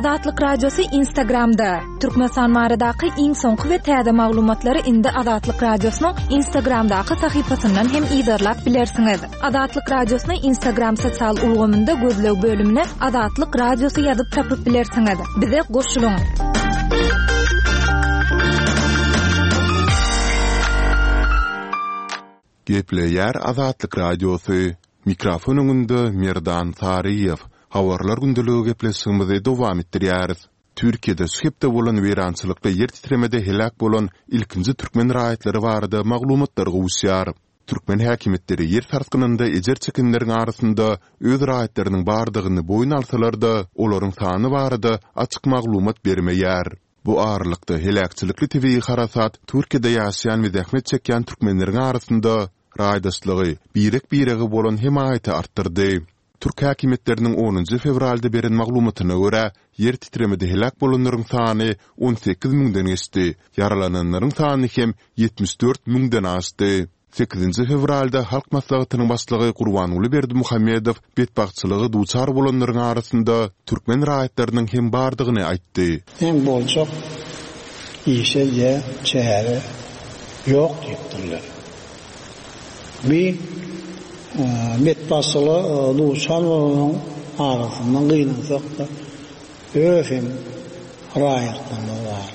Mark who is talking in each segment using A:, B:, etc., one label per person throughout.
A: Azatlyk Radiosy Instagramda! Türkmenistan baradaky iň soňky we täze maglumatlary indi Azatlyk Radiosynyň Instagramdaky sahypasyndan hem yzarlap bilersiňiz. Azatlyk Radiosyny Instagram sosial ulgamynda gözleg bölümine Azatlyk Radiosy ýazyp tapyp bilersiňiz. Bize goşulyň!
B: Gepleýär Azatlyk Radiosy, Mikrofon öňünde Merdan Saryýew. Habarlar gündeligi gepleşigimizi dowam etdirýäris. Türkiýede şu hepde bolan weýrançylykly ýer titremede heläk bolan ilkinji türkmen raýatlary barada maglumatlar gowuşýar. Türkmen häkimiýetleri ýer sarsgynynda ejir çekenleriň arasynda öz raýatlarynyň bardygyny boýun alsalar-da, olaryň sany barada açyk maglumat bermeýär. Bu aralykda, heläkçilikli tebigy harasat Türkiýede ýaşaýan we zähmet çekýän türkmenleriň arasynda raýdaşlygy, birek-birege bolan hemaýaty artdyrdy. Türk häkimiýetleriniň onunjy fewralda beren maglumatyna görä, ýer titremede heläk bolanlaryň sany 18 müňden geçdi, ýaralananlaryň sany hem 74 müňden aşdy. Sekizinji fewralda Halk Maslahatynyň Başlygy Gurbanguly Berdimuhamedow betbagtçylyga duçar bolanlaryň arasynda türkmen raýatlarynyň hem bardygyny aýtdy.
C: Seň boljak işe diýä çäre ýok diýipdirler. Bi betbagtçylyga duçar bolanyň arasynda gynansak-da öz hem raýatlarymyz bar.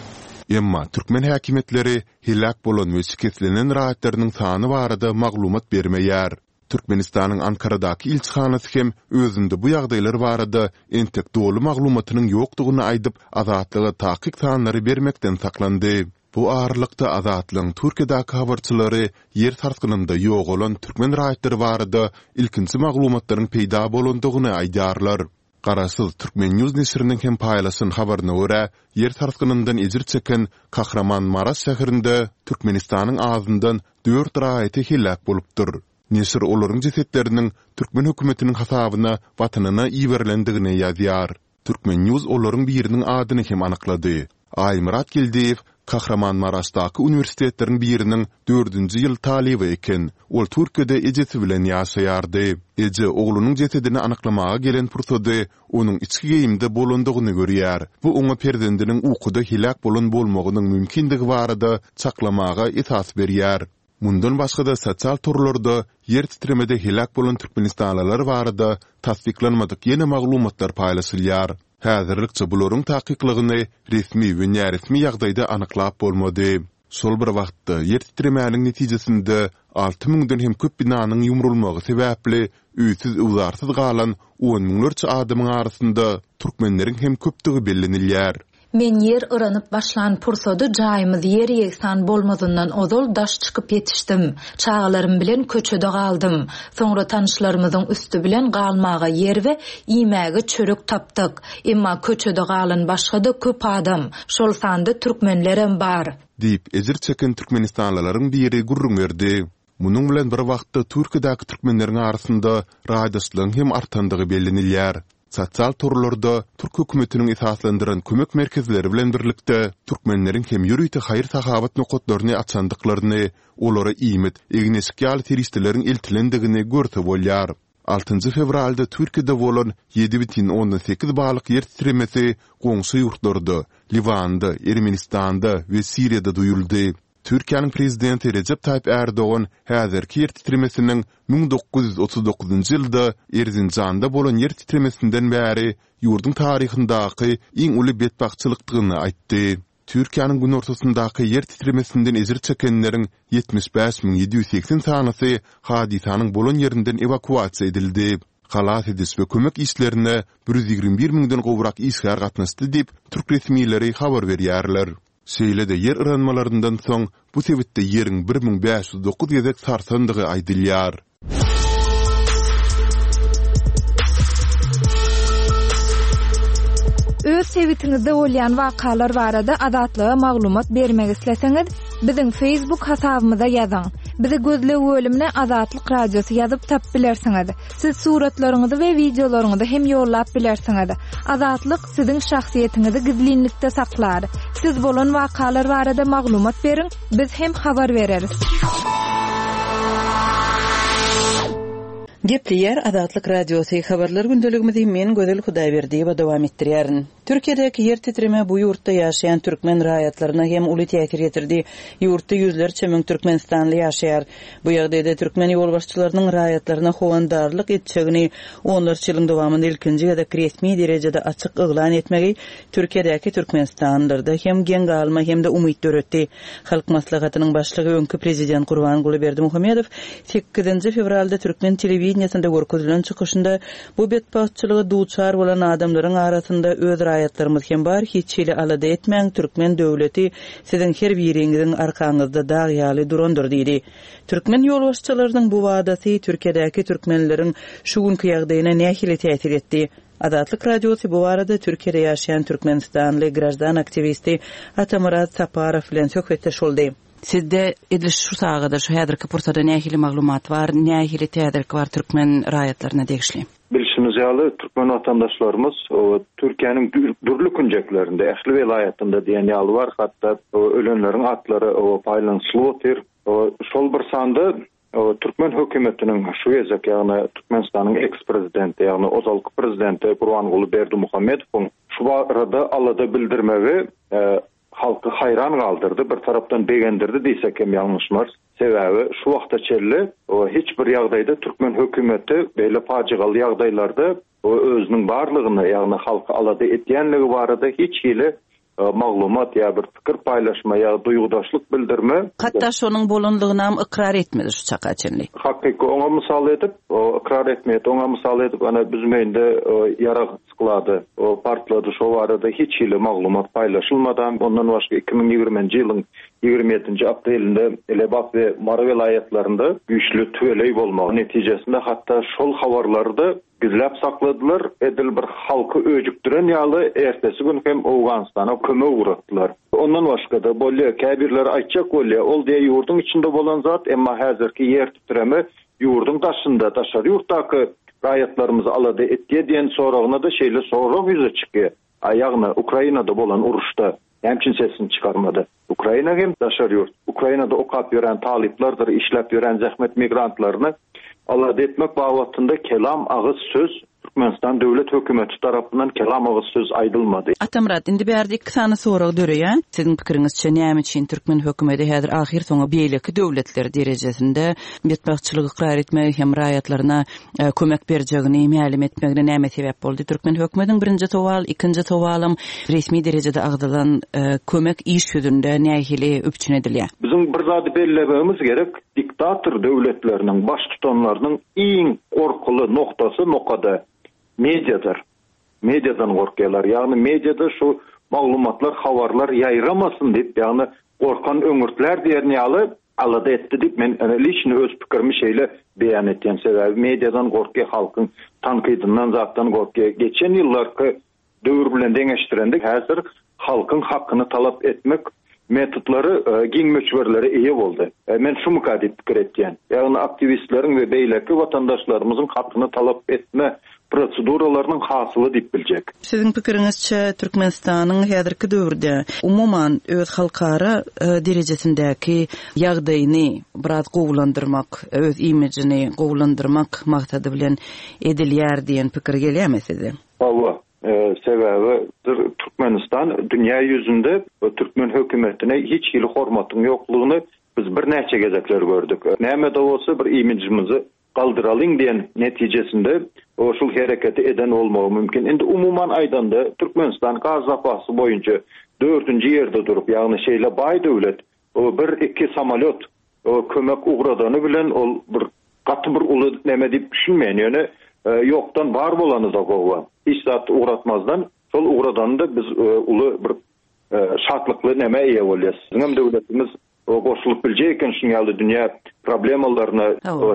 B: Emma türkmen häkimiýetleri heläk bolan we şikeslenen raýatlarynyň sany barada maglumat bermeýär. Türkmenistanyň Ankaradaky ilçihanasy hem özünde bu ýagdaýlar barada entek doly maglumatynyň ýokdugyny aýdyp, Azatlyga takyk sanlary bermekden saklandy. Bu aralykda, Azatlygyň Türkiýedäki habarçylary ýer sarsgynynda ýogalan türkmen raýatlary barada ilkinji maglumatlaryň peýda bolandygyny aýdýarlar. Garaşsyz Turkmen. News neşiriniň hem paýlaşan habaryna görä, ýer sarsgynyndan ejir çeken Kahramanmaraş şäherinde Türkmenistanyň azyndan dört raýaty heläk bolupdyr. Neşir olaryň jesetleriniň türkmen hökümetiniň hasabyna watanyna iberilendigini ýazýar. Turkmen. News olaryň biriniň adyny hem anyklady. Aýmyrat Geldiýew Kahramanmaraşdaky uniwersitetleriň biriniň dördünji ýyl talyby eken. Ol Türkiýede ejesi bilen ýaşaýardy. Eje oglunyň jesedini anyklamaga gelen pursady onuň içki geýimde bolandygyny görýär. Bu oňa perzendiniň ukuda heläk bolan bolmagynyň mümkindigi barada çaklamaga esas berýär. Mundan başga-da sosial torlarda ýer titremede heläk bolan türkmenistanlylar barada tassyklanmadyk ýene maglumatlar paýlaşylýar. Häzirlikçe bularyň takyklygyny resmi we näresmi ýagdaýda anyklap bolmady. Şol bir wagtda, ýer titremäniň netijesinde alty müňden hem köp binanyň ýumrulmagy sebäpli öýsüz-öwzarsyz galan on müňlerçe adamyň arasynda türkmenleriň hem köpdügi bellenilýär.
D: Men ýer yranyp başlan pursady jaýymyz ýer-ýegsan bolmazyndan ozal daş çykyp ýetişdim. Çagalarym bilen köçede galdym. Soňra tanyşlarymyzyň üsti bilen galmaga ýer we iýmäge çörek tapdyk. Emma köçede galan başga-da köp adam, şol sanda türkmenlerem bar.
B: Diýip, ejir çeken türkmenistanlylaryň biri gürrüň berdi. Munuň bilen bir wagtda Türkiýedäki türkmenleriň arasynda raýdaşlygyň hem artandygy bellenilýär. Sosial torlarda türk hökümetiniň esaslandyran kömek merkezleri bilen birlikde türkmenleriň hem ýörite haýyr-sahawat nokatlaryny açandyklaryny, olara iýmit, egin-eşik ýaly serişdeleriň eltilendigini görse bolýar. Altynjy fewralda Türkiýede bolan 7,8 ballyk ýer titremesi goňşy ýurtlarda, Liwanda, Ermenistanda we Siriýada duýuldy. Türkiýäniň Prezidenti Rejep Taýyp Ärdogan häzirki ýer titremesiniň 1939-njy ýylda Erzinjanda bolan ýer titremesinden bäri ýurduň taryhyndaky iň uly betbagtçylykdygyny aýtdy. Türkiýäniň günortasyndaky ýer titremesinden ejir çekenleriň 75 780 sanysy hadysanyň bolan ýerinden ewakuasiýa edildi. Halas ediş we kömek işlerine 121 müňden gowrak işgär gatnaşdy diýip, türk resmileri habar berýärler. Şeýle-de ýer yranmalaryndan soň bu sebitde ýeriň 1509 gezek sarsandygy aýdylýar.
A: Öz sebitiňizde bolýan wakalar barada Azatlyga maglumat bermek isleseňiz, biziň Facebook hasabymyza ýazyň. Bizi gözleg bölümine Azatlyk Radiosy ýazyp tapyp bilersiňiz. Siz suratlaryňyzy we wideolaryňyzy hem ýollap bilersiňiz. Azatlyk siziň şahsyýetiňizi gizlinlikde saklar. Siz bolan wakalar barada maglumat beriň, biz hem habar bereris.
E: Gepleýär Azatlyk Radiosy, Habarlar gündeligimizi men Gözel Hudaýberdiýewa dowam etdirýärin. Türkiýedäki ýer titreme bu ýurtda ýaşaýan türkmen raýatlaryna hem uly täsir ýetirdi. Ýurtda ýüzlerçe müň türkmenistanly ýaşaýar. Bu ýagdaýda türkmen ýolbaşçylarynyň raýatlaryna howandarlyk etjegini onlarça ýylyň dowamynda ilkinji gezek resmi derejede açyk yglan etmegi Türkiýedäki türkmenistanlylarda hem geň galma hem-de umyt döretdi. Halk Maslahatynyň Başlygy öňki Prezident Gurbanguly Berdimuhamedow sekizinji fewralda türkmen telewideniýesinde görkezilen çykyşynda Bu betbagtçylyga duçar bolan adamlaryň arasynda öz raýatlarymyz hem bar, hiç hili alada etmäň, türkmen döwleti siziň her biriňiziň arkaňyzda dag ýaly durandyr diýdi. Türkmen ýolbaşçylarynyň bu wadasy Türkiýedäki türkmenleriň şu günki ýagdaýyna nähili täsir etdi? Azatlyk Radiosy bu barada Türkiýede ýaşaýan türkmenistanly graždan aktiwisti Atamyrat Saparow bilen söhbetdeş boldy. Sizde edil şu sagada, şu häzirki pursada nähili maglumat bar, nähili täzelik bar türkmen raýatlaryna degişli?
F: Bilşimiz ýaly, türkmen watandaşlarymyz Türkiýäniň dürli künjeklerinde, ähli welaýatynda diýen ýaly bar, hatda ölenleriň atlary paýlanyşylyp otyr. Şol bir sanda Türkmen hökümetiniň şu gezek, ýagny Türkmenistanyň eks-prezidenti, ýagny ozalky prezidenti Gurbanguly Berdimuhamedowyň şu barada alada bildirmegi halky haýran galdyrdy, bir tarapdan begendirdi diýsek hem ýalňyşmarys. Sebäbi şu wagta çenli hiç bir ýagdaýda türkmen hökümeti beýle pajygaly ýagdaýlarda özüniň barlygyny, ýagny halky alada edýänligi barada hiç hili maglumat ýa bir pikir paýlaşma ýa duýgudaşlyk bildirme.
E: Hatda şonuň bolanlygynam ykrar etmedi şu çaka çenli.
F: Hakyky oňa mysal edip, ykrar etmeýär. Oňa mysal edip, ana Büzmeýinde ýarag Sklady partlady, şo barada hiç hili maglumat paýlaşylmadam. Ondan başga 2020-nji ýylyň 27-nji aprelinde Lebap we Mary welaýatlarynda güýçli tüweleý bolmagy netijesinde hatda şol habarlary-da gizläp sakladylar, edil bir halky öjükdiren ýaly ertesi gün hem Owganystana kömek ugratdylar. Ondan başga-da bolýar, käbirleri aýtjak bolýar, ol diýýär ýurduň içinde bolan zat, emma häzirki ýer titreme ýurduň daşynda, daşary ýurtdaky raýatlarymyzy alada etýär diýen soragyna-da şeýle sorag ýüze çykýar. A ýagny Ukrainada bolan uruşda näme üçin sesini çykarmady? Ukraina hem daşary ýurt. Ukrainada okap ýören talyplardyr işläp ýören zähmet migrantlaryny alada etmek babatynda kelam agyz söz Türkmenistan döwlet hökümeti tarapyndan kelam agyz söz aýdylmady.
E: Atamyrat, indi bärde iki sany sorag döreýär. Siziň pikiriňizçe näme üçin türkmen hökümeti häzir ahyrsoňy beýleki döwletler derejesinde betbagtçylygy ykrar etmegi hem raýatlaryna kömek berjegini mälim etmegine näme sebäp boldy? Türkmen hökümetiniň birinji sowal, ikinji sowalam resmi derejede agzalan kömek iş ýüzünde nähili üpjün edilýär?
F: Biziň bir zady bellemegimiz gerek, diktator döwletleriniň baştutanlarynyň iň gorkuly noktasy, nokady mediadyr. Mediadan gorkýarlar. Ýagny mediada şu maglumatlar, habarlar ýaýramasyn diýip, ýagny gorkan öňürtlär diýen ýaly alada etdi diýip, men liçni öz pikirimi şeýle beýan etýän. Sebäbi mediadan gorkýar, halkyň tankydyndan zatdan gorkýar. Geçen ýyllarky döwür bilen deňeşdirende häzir halkyň hakyny talap etmek metodlary giň möçberlere eýe boldy. Men şumyka diýip pikir etýän. Ýagny aktiwistleriň we beýleki watandaşlarymyzyň hakyny talap etme proseduralarynyň hasyly diýip biljek.
E: Siziň pikiriňizçe Türkmenistanyň häzirki döwürde umuman öz halkara derejesindäki ýagdaýyny biraz gowulandyrmak, öz imijini gowulandyrmak maksady bilen edilýär diýen pikir gelýärmi size?
F: Hawa, sebäbi Türkmenistan dünýä ýüzünde türkmen hökümetine hiç hili hormatyň ýoklugyny biz birnäçe gezekler gördük. Näme-de bolsa bir imidžimizi galdyralyň diýen netijesinde şul hereketi eden bolmagy mümkin. Indi umuman aýdanda Türkmenistan gaz zapasy boýunça dördünji ýerde durup, ýagny şeýle baý döwlet bir-iki samolýot kömek ugradany bilen ol bir gaty bir uly neme diýip düşünmeýän. Ýöne ýokdan bar bolany-da gowy. Hiç zat ugratmazdan şol ugradany-da biz uly bir şatlykly nämä eýe bolýas. Biziňem döwletimiz goşulyp biljek eken şunuň ýaly dünýä problemalaryna,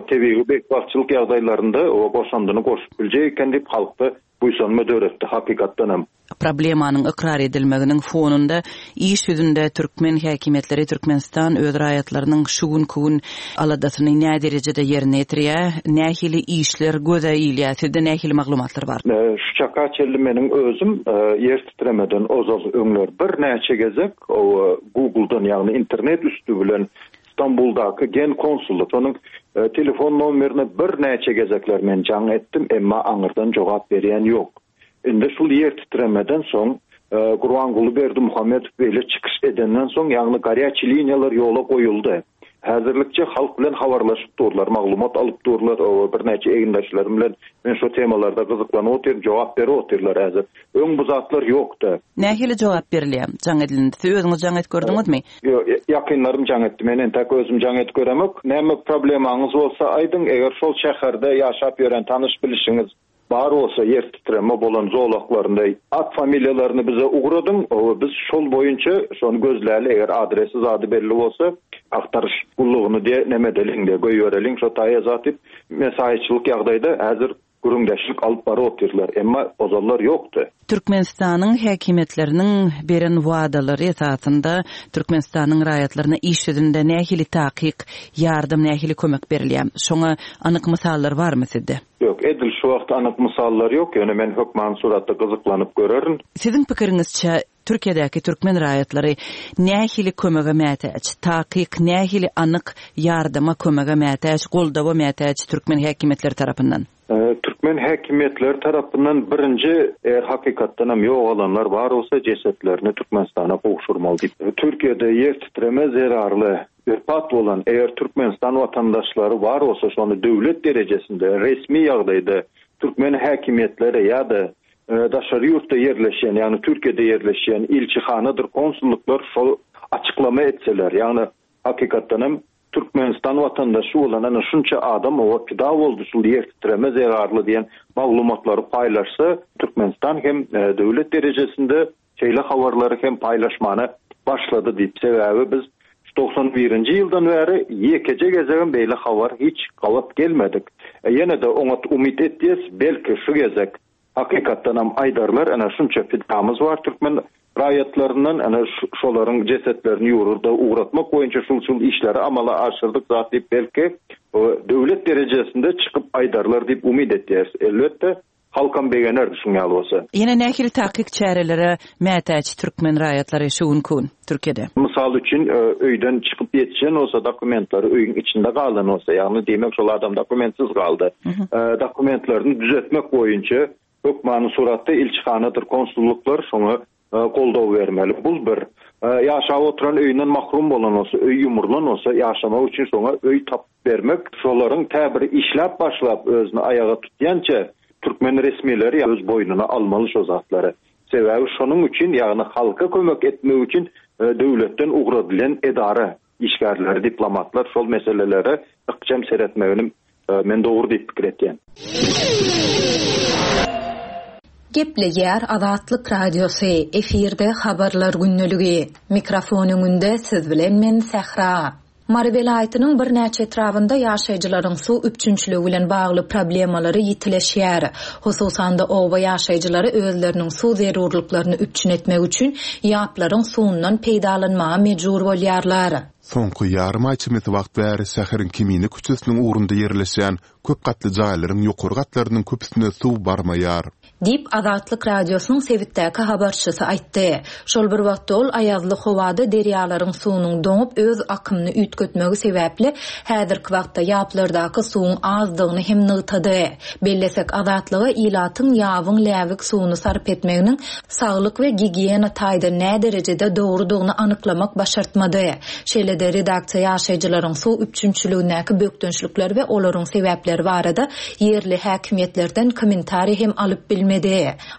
F: tebigy betbagtçylyk ýagdaýlarynda goşandyny goşup biljek eken diýip halkda buýsanma döretdi hakykatdan hem.
E: Problemanyň ykrar edilmeginiň fonunda iş ýüzünde türkmen häkimiýetleri Türkmenistan öz raýatlarynyň şu günki gün aladasyny näderejede ýerine ýetirýär, nähili işler göze ilýär, sizde nähili maglumatlar bar?
F: Şu çaka çenli meniň özüm ýer titremeden ozal öňler birnäçe gezek Google-dan ýagny internet üsti bilen Stambuldaky Genkonsullyk, şonuň. Telefon nomerine birnäçe gezekler men jaň etdim, emma aňyrdan jogap berýän ýok. Indi şul ýer titremeden soň, Gurbanguly Berdimuhamedow beýle çykyş edenden soň, ýagny garýaçi liniýalar ýola goýuldy. Häzirlikçe halk bilen habarlaşyp durlar, maglumat alyp durlar, birnäçe egindeşlerim bilen men şo temalarda gyzyklanyp otyryn, jogap berip otyrlar häzir. Öň bu zatlar ýokdy.
E: Nähili jogap berilýär jaň edilende? Siz özüňiz jaň edip gördüňizmi?
F: Ýok, ýakynlarym jaň etdi. Men entäk özüm jaň edip göremok. Näme problemaňyz bolsa aýdyň, eger şol şäherde ýaşap ýören tanyş-bilişiňiz bar bolsa ýer titreme bolan zolaklarynda at familiýalaryny bize ugradyň, biz şol boýunça şony gözläli, eger adresi zady belli bolsa agtaryş gullugyny diýe neme edeliň diýe goýbereliň şo taýa zat diýip mesaýyçylyk ýagdaýda häzir gürrüňdeşlik alyp baryp otyrlar, emma ozallar ýokdy.
E: Türkmenistanyň häkimiýetleriniň beren wadalary esasynda Türkmenistanyň raýatlaryna iş ýüzünde nähili takyk ýardam, nähili kömek berilýär? Şoňa anyk mysallar barmy sizde?
F: Ýok, edil şu wagt anyk mysallar ýok, ýöne men hökmany suratda gyzyklanyp görerin.
E: Siziň pikiriňizçe, Türkiýedäki türkmen raýatlary nähili kömege mätäç? Takyk nähili anyk ýardama, kömege mätäç, goldawa mätäç türkmen häkimiýetleri tarapyndan?
F: Türkmen häkimiýetleri tarapyndan birinji, eger hakykatdan hem ýogalanlar bar bolsa, jesetlerini Türkmenistana gowşurmaly diýip. Türkiýede ýer titreme zerarly wepat bolan eger Türkmenistan watandaşlary bar bolsa, şony döwlet derejesinde resmi ýagdaýda türkmen häkimiýetleri ýa-da daşary ýurtda ýerleşýän, ýagny Türkiýede ýerleşýän ilçihanadyr konsullyklar şol açyklama etseler, ýagny hakykatdan hem Türkmenistan watandaşy bolan ana şunça adam oba pida boldy şul ýer titreme zerarly diýen maglumatlary paýlaşsa, Türkmenistan hem döwlet derejesinde şeýle habarlary hem paýlaşmana başlady diýip, sebäbi biz şu 91-nji ýyldan bäri ýekeje gezegem beýle habar hiç gabat gelmedik. Ýene-de oňat umyt etýäs, belki şu gezek Hakykatdanam aýdarlar, ene şunça pidamyz bar türkmen raýatlaryndan, ene şolaryň jesetlerini ýurda ugratmak boýunça şul-şul işleri amala aşyrdyk zat diýip belki döwlet derejesinde çykyp aýdarlar diýip umyt etýäris. Elbetde, halkam begenerdi şuň ýaly bolsa.
E: Ýene nähili takyk çärelere mätäç türkmen raýatlary şu günki gün Türkiýede?
F: Mysal üçin, öýden çykyp ýetişen bolsa, dokumentleri öýüň içinde galan bolsa, ýagny diýmek şol adam dokumentsiz galdy. Dokumentlerini düzetmek boýunça hökmany suratda ilçihanadyr konsullyklar şoňa goldaw bermeli. Bul bir. Ýaşap oturan öýünden mahrum bolan bolsa, öý ýumrulan bolsa, ýaşamak üçin şoňa öý tapyp bermek, şolaryň tä bir işläp başlap özüni aýaga tutýança türkmen resmileri öz boýnuna almaly şo zatlary. Sebäbi şonuň üçin, ýagny halka kömek etmek üçin döwletden ugradylýan edara işgärleri, diplomatlar şol meselelere ykjam seretmegini men dogry diýip pikir etýän.
D: Gepleýär Azatlyk Radiosy, efirde Habarlar gündeligi. Mikrofon öňünde siz bilen men Sähra. Mary welaýatynyň birnäçe etrabynda ýaşaýjylaryň suw üpjünçiligi bilen bagly problemalary ýitileşýär. Hususan-da, oba ýaşaýjylary özleriniň suw zerurlyklaryny üpjün etmek üçin ýaplaryň suwundan peýdalanmaga mejbur bolýarlar.
B: Soňky ýarym aý çemesi wagt bäri şäheriň Kemine köçesiniň ugrunda ýerleşýän köp gatly jaýlaryň ýokary gatlarynyň köpüsine suw barmaýar.
D: Diýip, Azatlyk Radiosynyň sebitdäki habarçysy aýtdy. Şol bir wagtda ol aýazly howada derýalaryň suwunyň doňup, öz akymyny üýtgetmegi sebäpli, häzirki wagtda ýaplardaky suwuň azdygyny hem nygtady. Bellesek, Azatlyga ilatyň ýabyň läbik suwuny sarp etmeginiň saglyk we gigiýena taýdan näderejede dogrudygyny anyklamak başartmady. Şeýle-de, redaksiýa ýaşaýjylaryň suw üpjünçiligindäki bökdençlikler we olaryň sebäpleri barada ýerli häkimiýetlerden kommentariý hem alyp bilmedi.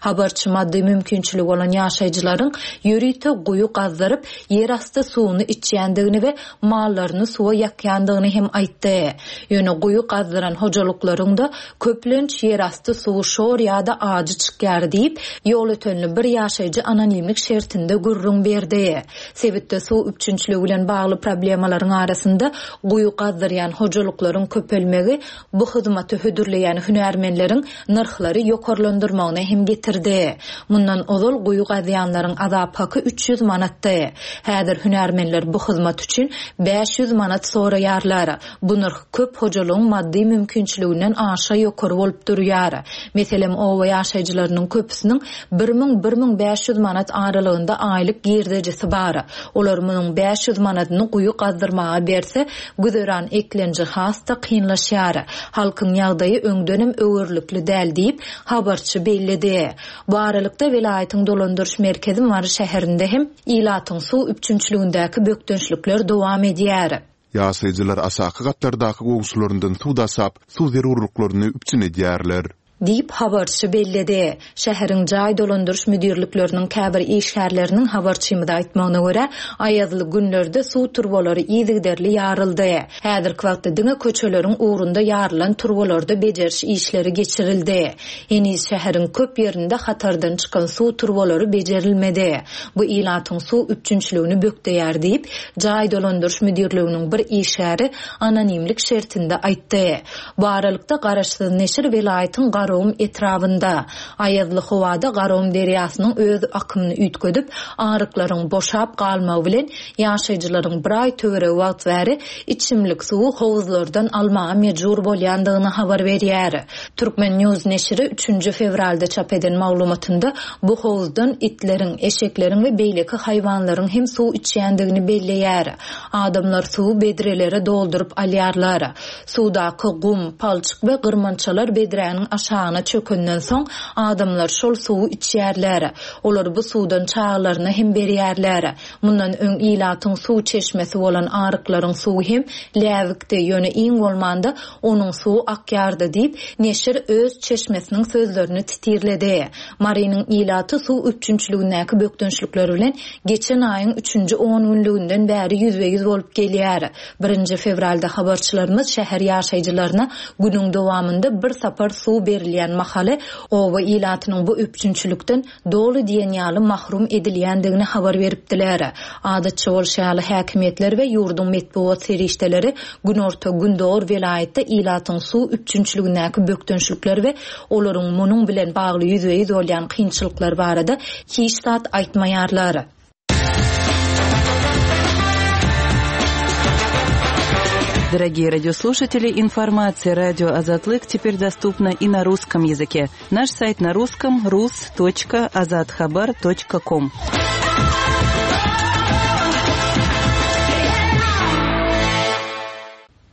D: Habarçy maddy mümkinçiligi bolan ýaşaýjylaryň ýörite guýy gazdyryp, ýerasty suwuny içýändigini we mallaryny suwa ýakýandygyny hem aýtdy. Ýöne guýy gazdyran hojalyklaryň-da köplenç ýerasty suwy şor ýa-da ajy çykýar diýip, ýolötenli bir ýaşaýjy anonimlik şertinde gürrüň berdi. Sebitde suw üpjünçiligi bilen bagly problemalaryň arasynda guýy gazdyrýan hojalyklaryň köpelmegi, bu hyzmaty hödürleýän hünärmenleriň nyrhlary ýokarlandyrmagy. ýokarlanmagyna hem getirdi. Mundan ozal guýy gazýanlaryň azap haky 300 manatdy. Häzir hünärmenler bu hyzmat üçin 500 manat soraýarlar. Bu nyrh köp hojalygyň maddy mümkinçiliginden aşa ýokary bolup durýar. Meselem, oba ýaşaýjylarynyň köpüsiniň 1000-1500 manat aralygynda aýlyk girdejisi bar. Olar munuň 500 manadyny guýy gazdyrmaga berse, güzeran eklenji has-da kynlaşýar. Halkyň ýagdaýy öňdenem öwerlikli däl diýip, habarçy belledi. Bu aralykda, welaýatyň dolandyryş merkezi Mary şäherinde hem ilatyň suw üpjünçiligindäki bökdençlikler dowam edýär.
B: Ýaşaýjylar aşaky gatlardaky goňşularyndan suw daşap, suw zerurlyklaryny üpjün edýärler.
D: Diýip, habarçy belledi. Şäheriň jaý dolandyryş müdirlikleriniň käbir işgärleriniň habarçymyza aýtmagyna görä, aýazly günlerde suw turbalary yzygiderli ýaryldy. Häzirki wagtda diňe köçeleriň ugrunda ýarylan turbalarda bejeriş işleri geçirildi. Heniz şäheriň köp ýerinde hatardan çykan suw turbalary bejerilmedi. Bu ilatyň suw üpjünçiligini bökdeýär diýip, jaý dolandyryş müdirliginiň bir işgäri anonimlik şertinde aýtdy. Bu aralykda, garaşsyz neşir welaýatyň Garagum etrabynda, aýazly howada Garagum derýasynyň öz akymyny üýtgedip, aryklaryň boşap galmagy bilen, ýaşaýjylaryň bir aý töweregi wagt bäri içimlik suwy howuzlardan almaga mejbur bolýandygyny habar berýär. Turkmen. News neşiri üçünji fewralda çap eden maglumatynda bu howuzdan itleriň, eşekleriň we beýleki haýwanlaryň hem suw içýändigini belleýär. Adamlar suwy bedrelere dolduryp alýarlar. Suwdaky gum, palçyk we gyrmançalar bedräniň aşagyna çökenden soň, adamlar şol suwy içýärler. Olar bu suwdan çagalaryna hem berýärler. Mundan öň ilatyň suw çeşmesi bolan aryklaryň suwy hem läbikdi, ýöne iň bolmanda onuň suwy akýardy diýip, neşir öz çeşmesiniň sözlerini titirledi. Marynyň ilaty suw üpjünçiligindäki bökdençlikler bilen geçen aýyň üçünji ongünlüginden bäri ýüzbe-ýüz bolup gelýär. Birinji fewralda habarçylarymyz şäher ýaşaýjylaryna günüň dowamynda bir sapar suw berilýän mahaly oba ilatynyň bu üpjünçilikden doly diýen ýaly mahrum edilýändigini habar beripdiler. Adatça bolşy ýaly, häkimiýetler we ýurduň metbugat serişdeleri günorta-gündogar welaýatda ilatyň suw üpjünçiligindäki bökdençlikler we olaryň munuň bilen bagly ýüzbe-ýüz bolýan kynçylyklar barada hiç zat aýtmaýarlar.
E: Дорогие радиослушатели, информация радио Азатлык теперь доступна и на русском языке. Наш сайт на русском rus.azathabar.com.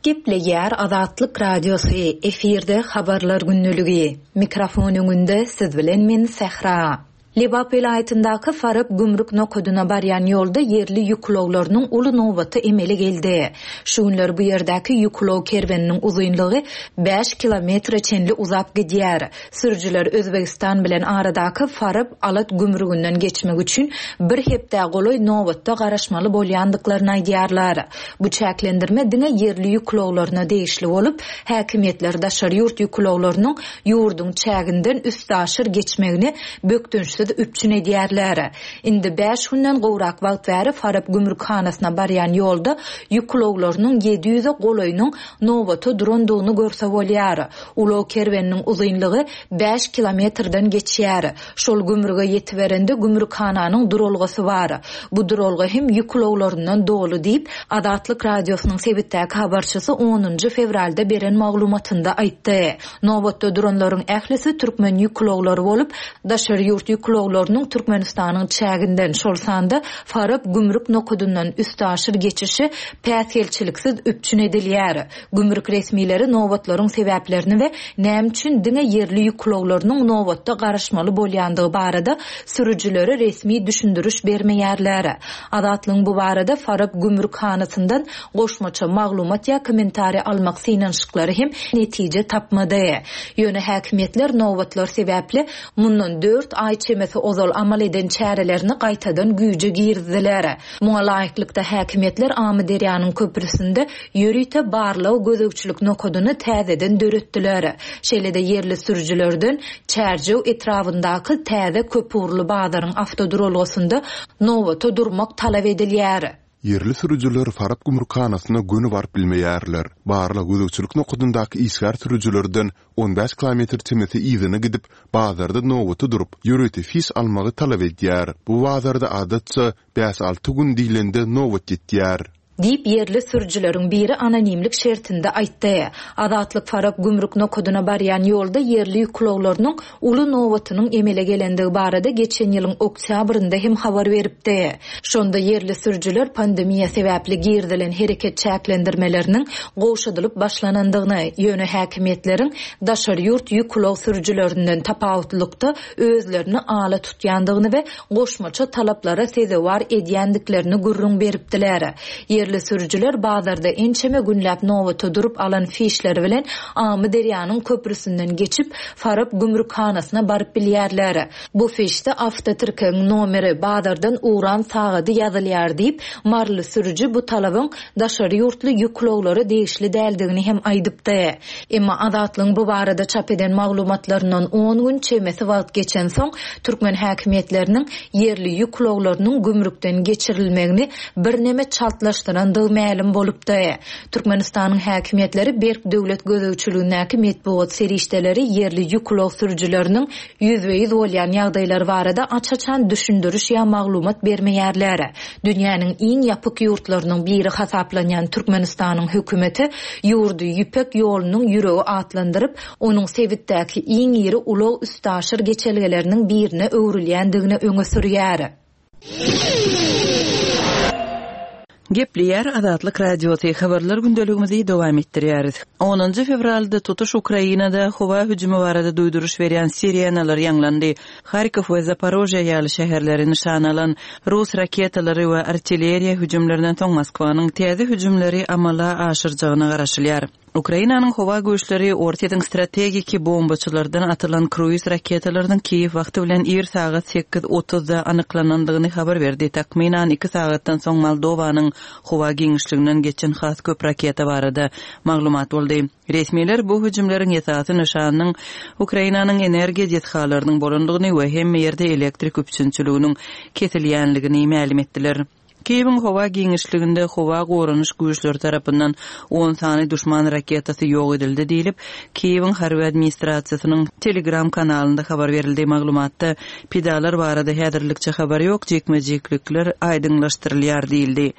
D: Gepleýär Azatlyk Radiosy, efirde Habarlar gündeligi. Mikrofon öňünde siz bilen men Sähra. Lebap welaýatyndaky Farap gümrük nokadyna barýan ýolda ýerli ýük ulaglarynyň uly nobaty emele geldi. Şu günler bu ýerdäki ýük ulag kerweniniň uzynlygy bäş kilometre çenli uzap gidýär. Sürüjiler Özbegistan bilen aradaky Farap, Alat gümrüginden geçmek üçin bir hepdä golaý nobatda garaşmaly bolýandyklaryny aýdýarlar. Bu çäklendirme diňe ýerli ýük ulaglaryna degişli bolup, häkimiýetler daşary ýurt ýük ulaglarynyň ýurduň çäginden üstaşyr geçmegini bökdençsiz üpjün edýärler. Indi bäş günden gowrak wagt bäri Farap gümrükhanasyna barýan ýolda ýük ulaglarynyň 700-e golaýynyň nobata durandygyny görse bolýar. Ulag kerweniniň uzynlygy bäş kilometrden geçýär. Şol gümrüge ýetiberende gümrükhananyň duralgasy bar. Bu duralga hem ýük ulaglaryndan doly diýip, Azatlyk Radiosynyň sebitdäki habarçysy onunjy fewralda beren maglumatynda aýtdy. Nobatda duranlaryň ählisi türkmen ýük ulaglary bolup, daşary ýurt ýük ulaglarynyň Türkmenistanyň çäginden, şol sanda Farap gümrük nokadyndan üstaşyr geçişi päsgelçiliksiz üpjün edilýär. Gümrük resmileri nobatlaryň sebäplerini we näme üçin diňe ýerli ýük ulaglarynyň nobatda garaşmaly bolýandygy barada sürüjilere resmi düşündiriş bermeýärler. Azatlygyň bu barada Farap gümrükhanasyndan goşmaça maglumat ýa kommentariý almak synanyşyklary hem netije tapmady. Ýöne häkimiýetler nobatlar sebäpli mundan dört aý çemesi ozal amal eden çärelerini gaýtadan güýje girizdiler. Muňa laýyklykda, häkimiýetler Amyderýanyň köprüsinde ýörite barlag-gözegçilik nokadyny täzeden döretdiler. Şeýle-de ýerli sürüjilerden Çärjew etrabyndaky täze köpugurly bazaryň awtoduralgasynda nobata durmak talap edilýär.
B: Ýerli sürüjiler Farap gümrükhanasyna göni baryp bilmeýärler. Barlag-gözegçilik nokadyndaky işgär sürüjilerden 15 kilometr çemesi yzyna gidip, bazarda nobata durup, ýörite fiş almagy talap edýär. Bu bazarda adatça bäş-alty gün diýlende nobat ýetýär.
D: Diýip, ýerli sürüjileriň biri anonimlik şertinde aýtdy. Azatlyk Farap gümrük nokadyna barýan ýolda ýerli ýük ulaglarynyň uly nobatynyň emele gelendigi barada geçen ýylyň oktýabrynda hem habar beripdi. Şonda ýerli sürüjiler pandemiýa sebäpli girizilen hereket çäklendirmeleriniň gowşadylyp başlanandygyny, ýöne häkimiýetleriň daşary ýurt ýük ulag sürüjilerinden tapawutlykda özlerini ala tutýandygyny we goşmaça talaplara sezewar edýändiklerini gürrüň beripdiler. Ýerli sürüjiler bazarda ençeme günläp nobata durup alan fişleri bilen Amyderýanyň köprüsinden geçip, Farap gümrükhanasyna baryp bilýärler. Bu fişde awtotirkegiň nomeri, bazardan ugran sagady ýazylýar diýip, maryly sürüji bu talabyň daşary ýurtly ýük ulaglara degişli däldigini hem aýdypdy. Emma Azatlygyň bu barada çap eden maglumatlaryndan on gün çemesi wagt geçensoň, türkmen häkimiýetleriniň ýerli ýük ulaglarynyň gümrükden geçirilmegini birneme çaltlaşdyrandygy mälim bolupdy. Türkmenistanyň häkimiýetleri berk döwlet gözegçiligindäki metbugat serişdeleri ýerli ýük ulag sürüjileriniň ýüzbe-ýüz bolýan ýagdaýlary barada aç-açan düşündiriş ýa maglumat bermeýärler. Dünýäniň iň ýapyk ýurtlarynyň biri hasaplanýan Türkmenistanyň hökümeti ýurdy Ýüpek ýolunyň ýüregi atlandyryp, onuň sebitdäki iň iri ulag-üstaşyr geçelgeleriniň birine öwrülýändigini öňe sürýär.
E: Gepleýär Azatlyk Radiosy, Habarlar gündeligimizi dowam etdirýäris. Onunjy fewralda tutuş Ukrainada howa hüjümi barada duýduryş berýän sirenalar ýaňlandy. Harkow we Zaporožýe ýaly şäherleri nyşana alan rus raketalary we artilleriýa hüjümlerinden soň Moskwanyň täze hüjümleri amala aşyrjagyna garaşylýar. Ukrainanyň howa güýçleri Orsýetiň strategiki bombaçylardan atylan kruiz raketalarynyň Kiýew wagty bilen ir sagat sekiz otuzda anyklanandygyny habar berdi. Takmynan iki sagatdan soň Moldowanyň howa giňişliginden geçen has köp raketa barada maglumat boldy. Resmiler bu hüjümleriň esasy nyşanynyň Ukrainanyň energiýa desgalarynyň bolandygyny we hemme ýerde elektrik üpjünçiliginiň kesilýänligini mälim etdiler. Kiýewiň howa giňişliginde howa goranyş güýçleri tarapyndan on sany duşman raketasy ýok edildi diýlip, Kiýewiň harby administrasiýasynyň Telegram kanalynda habar berildi. Maglumatda pidalar barada häzirlikçe habar ýok, jikme-jiklikler aýdyňlaşdyrylýar diýildi.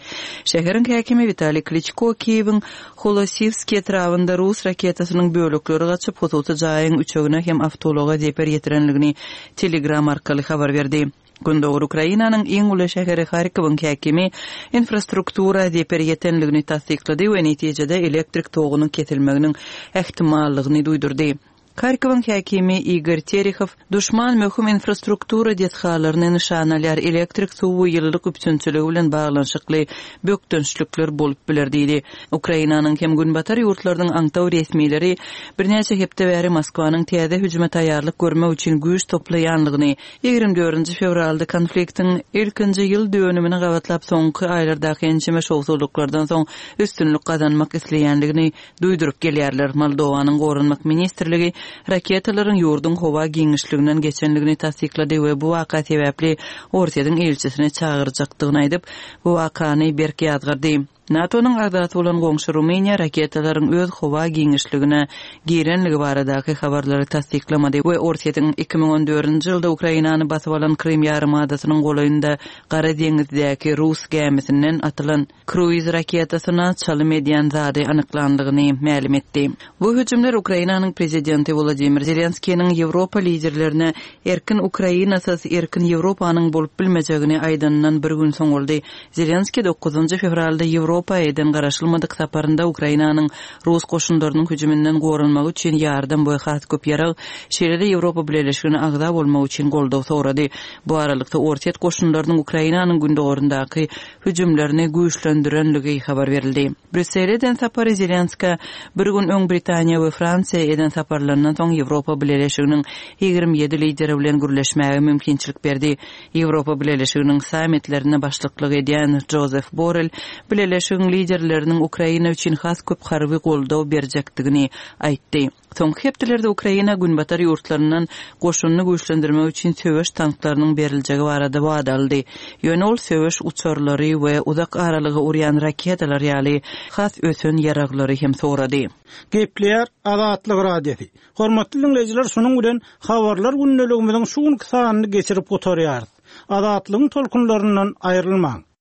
E: Şäheriň häkimi Witaliý Kliçko Kiýewiň Holosiwskiý etrabynda rus raketasynyň bölekleri gaçyp, hususy jaýyň üçegine hem awtoulaga zeper ýetirendigini Telegram arkaly habar berdi. Gündogar Ukrainanyň iň uly şäheri Harkowyň häkimi infrastruktura zeper ýetendigini tassyklady we netijede elektrik togunyň kesilmeginiň ähtimallygyny duýdurdy. Harkowyň häkimi Igor Terehow, Duşman möhüm infrastruktura desgalaryny nyşana alýar, elektrik, suw we ýylylyk üpjünçiligi bilen baglanyşykly bökdençlikler bolup biler diýdi. Ukrainanyň hem günbatar ýurtlarynyň aňtaw resmileri birnäçe hepde bäri Moskwanyň täze hüjüme taýýarlyk görmek üçin güýç toplaýanlygyny, 24 fewralda konfliktiň ilkinji ýyl dönümine gabatlap soňky aýlardaky ençeme şowsuzlyklardan soň üstünlik gazanmak isleýänligini duýduryp gelýärler. Moldowanyň Goranmak ministrligi raketalaryň ýurduň howa giňişliginden geçenligini tassyklady we bu waka sebäpli Orsýetiň ilçisini çagyrjakdygyny aýdyp, bu wakany berk ýazgardy. NATO-nyň agzasy bolan goňşy Rumyniýa raketalaryň öz howa giňişligine girenligi baradaky habarlary tassyklamady we Orsýetiň 2014-nji ýylda Ukrainany basyp alan Krym ýarymadasynyň golaýynda Gara deňizdäki rus gämisinden atylan kruiz raketasyna çalym edýän zady anyklandygyny mälim etdi. Bu hüjümler Ukrainanyň prezidenti Wolodymyr Zelenskiniň Ýewropa liderlerine erkin Ukrainasyz erkin Ýewropanyň bolup bilmejegini aýdanyndan bir gün soň boldy. Zelenskiý dokuzynjy fewralda Ýewropa eden garaşylmadyk saparynda Ukrainanyň rus goşunlarynyň hüjüminden goranmagy üçin ýardam we has köp ýarag, şeýle-de Ýewropa Bileleşigine agza bolmak üçin goldaw sorady. Bu aralykda, Orsýet goşunlarynyň Ukrainanyň gündogaryndaky hüjümlerini güýçlendirenligi habar berildi. Brýussele eden sapary Zelenskä bir gün öň Britaniýa we Fransiýa eden saparlaryndan soň Ýewropa Bileleşiginiň 27 lideri bilen gürleşmäge mümkinçilik berdi. Ýewropa Bileleşiginiň sammitlerine başlyklyk edýän Jozef Borrel Bileleşigiň. Bileleşigiň liderleriniň Ukraina üçin has köp harby goldaw berjekdigini aýtdy. Soňky hepdelerde Ukraina Günbatar ýurtlaryndan goşunyny güýçlendirmek üçin söweş tanklarynyň beriljegi barada wada aldy. Ýöne ol söweş uçarlary we uzak aralyga urýan raketalar ýaly has ösen ýaraglary hem sorady.
G: Gepleýär Azatlyk Radiosy. Hormatly diňleýjiler şunuň bilen Habarlar gündeligimiziň şu günki sanyny geçirip gutarýarys. Azatlygyň tolkunlaryndan aýrylmaň.